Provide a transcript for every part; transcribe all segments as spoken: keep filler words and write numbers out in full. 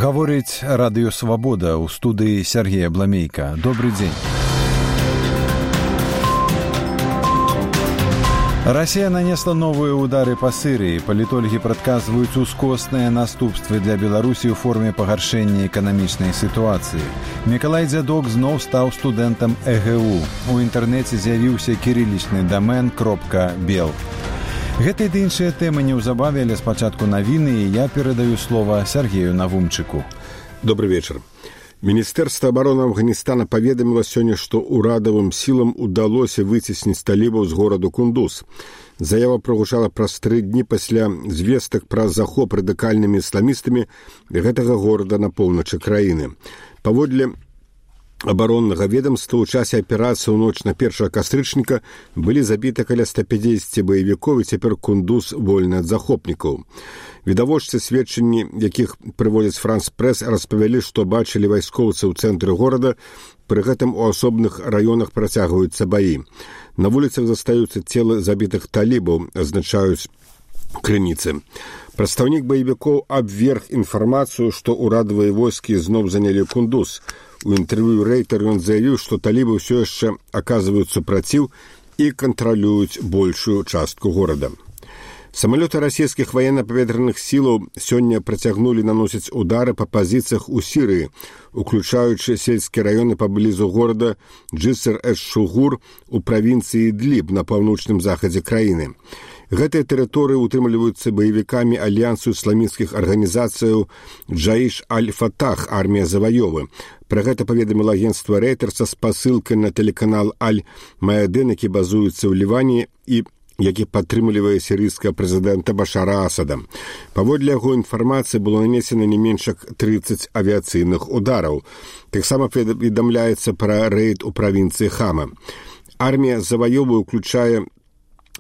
Гаворыць радыё «Свабода» ў студыі Сергея Бламейка. Добры дзень. Расія нанесла новыя ўдары па Сірыі. Палітолагі прадказваюць ускосныя наступствы для Беларусі ў форме пагаршэння эканамічнай сітуацыі. Мікалай Дзядок зноў стаў студэнтам э гэ у. У інтэрнэце з'явіўся кірылічны дамен .бел. Гэтай ды іншыя тэмы неўзабаве, але спачатку навіны, і я перадаю слова Сергею Навумчыку. Добрый вечер. Міністэрства абароны Афганістана паведаміла сёння, што ўрадавым сілам удалося выцесніць талібаў з гораду Кундуз. Заява прагучала праз тры дні пасля звестак пра захоп радыкальнымі ісламістамі гэтага горада на поўначы краіны. Паводле абароннага ведомства ў часе аперацыі ў ноч на першага кастрычніка былі забіты каля ста пяцьдзесят баевікоў, і цяпер Кундуз вольны ад захопнікаў. Відавочцы, сведчанні якіх прыводзяць Франс Прэс, распавялі, што бачылі вайскоўцы ў цэнтры горада, пры гэтым у асобных раёнах працягваюцца баі. На вуліцах застаюцца целы забітых талібаў, азначаюць крыніцы. Прадстаўнік баевікоў абверг інфармацыю, што ўрадавыя войскі зноў занялі Кундуз. У інтэрв'ю Рейтер ён заявіў, што талібы ўсё яшчэ аказваюць супраціў і кантралююць большую частку горада. Самалёты расійскіх ваенна-паветраных сілаў сёння працягнулі наносіць удары па пазіцыях у Сірыі, уключаючы сельскія раёны паблізу горада Джыср-эш-Шугур у правінцыі Ідліб на паўночным захадзе краіны. Гэтыя тэрыторыі утрымліваюцца баевікамі альянсу ісламісцкіх арганізацыяў Джаіш аль-Фатах, армія заваёвы. Пра гэта паведаміла агенцтва Рейтер са спасылкай на тэлеканал Аль-Маядын, які базуецца ў Ліване і які падтрымлівае сірыйскага прэзідэнта Башара Асада. Паводле яго інфармацыі было нанесена не менш як трыццаць авіяцыйных удараў. Таксама паведамляецца пра рэйд у правінцыі Хама. Армія заваёвы ўключае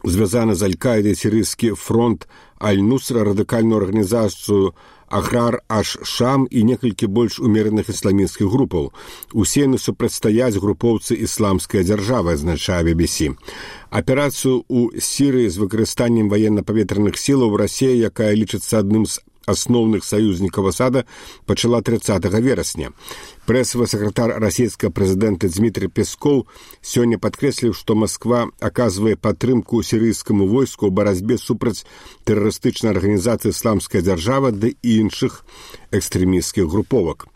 звязаны з Аль-Каідай сірыйскі фронт Аль-Нусра, радыкальную арганізацыю Ахрар аш-Шам і некалькі больш умераных ісламісцкіх групаў. Усе яны супрацьстаяць групоўцы ісламская дзяржава, азначае би би сі. Аперацыю ў Сірыі з выкарыстаннем ваенна-паветраных сілаў Расія, якая лічыцца адным з асноўных саюзнікаў Асада, пачала трыццатага верасня. Прэсавы сакратар расійскага прэзідэнта Дзмітрый Пескоў сёння падкрэсліў, што Масква аказвае падтрымку сірыйскаму войску ў барацьбе супраць тэрарыстычнай арганізацыі «Ісламская дзяржава» ды і іншых экстрэмісцкіх груповак.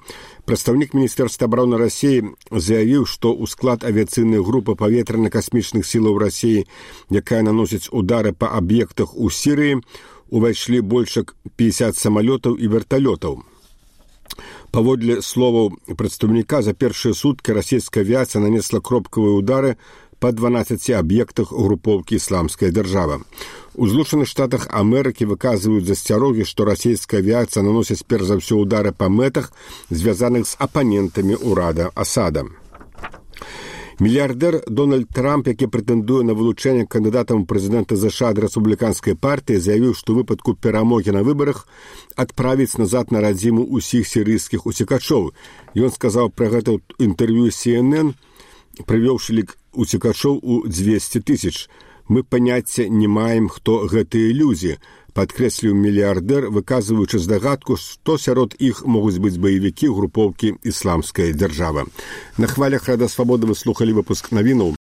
Прадстаўнік Міністэрства абароны Расіі заявіў, што ў склад авіяцыйнай групы паветрана-касмічных сілаў Расіі, якая наносіць удары па аб'ектах у Сірыі, увайшлі больш як пятьдесят самалётаў і верталётаў. Паводле словаў прадстаўніка, за першыя суткі расійская авіяцыя нанесла кропкавыя удары па дванаццаці аб'ектах групоўкі «Ісламская дзяржава». У Злучаных Штатах Амерыкі выказваюць засцярогі, што расійская авіяцыя наносіць перш за ўсё удары па мэтах, звязаных з апанентамі ўрада Асада. Мільярдэр Дональд Трамп, які прэтэндуе на вылучэнне кандыдатам прэзідэнта ЗША ад рэспубліканскай партыі, заявіў, што ў выпадку перамогі на выбарах адправіць назад на радзіму ўсіх сірыйскіх уцекачоў. Ён сказаў пра гэта ў інтэрв'ю Сі Эн Эн, прывёўшы лік уцекачоў у дзвесце тысяч. Мы паняцця не маем, хто гэтыя людзі, падкрэсліў мільярдэр, выказваючы здагадку, што сярод іх могуць быць баевікі групоўкі «Ісламская дзяржава». На хвалях Рада Свабоды вы слухалі выпуск навінаў.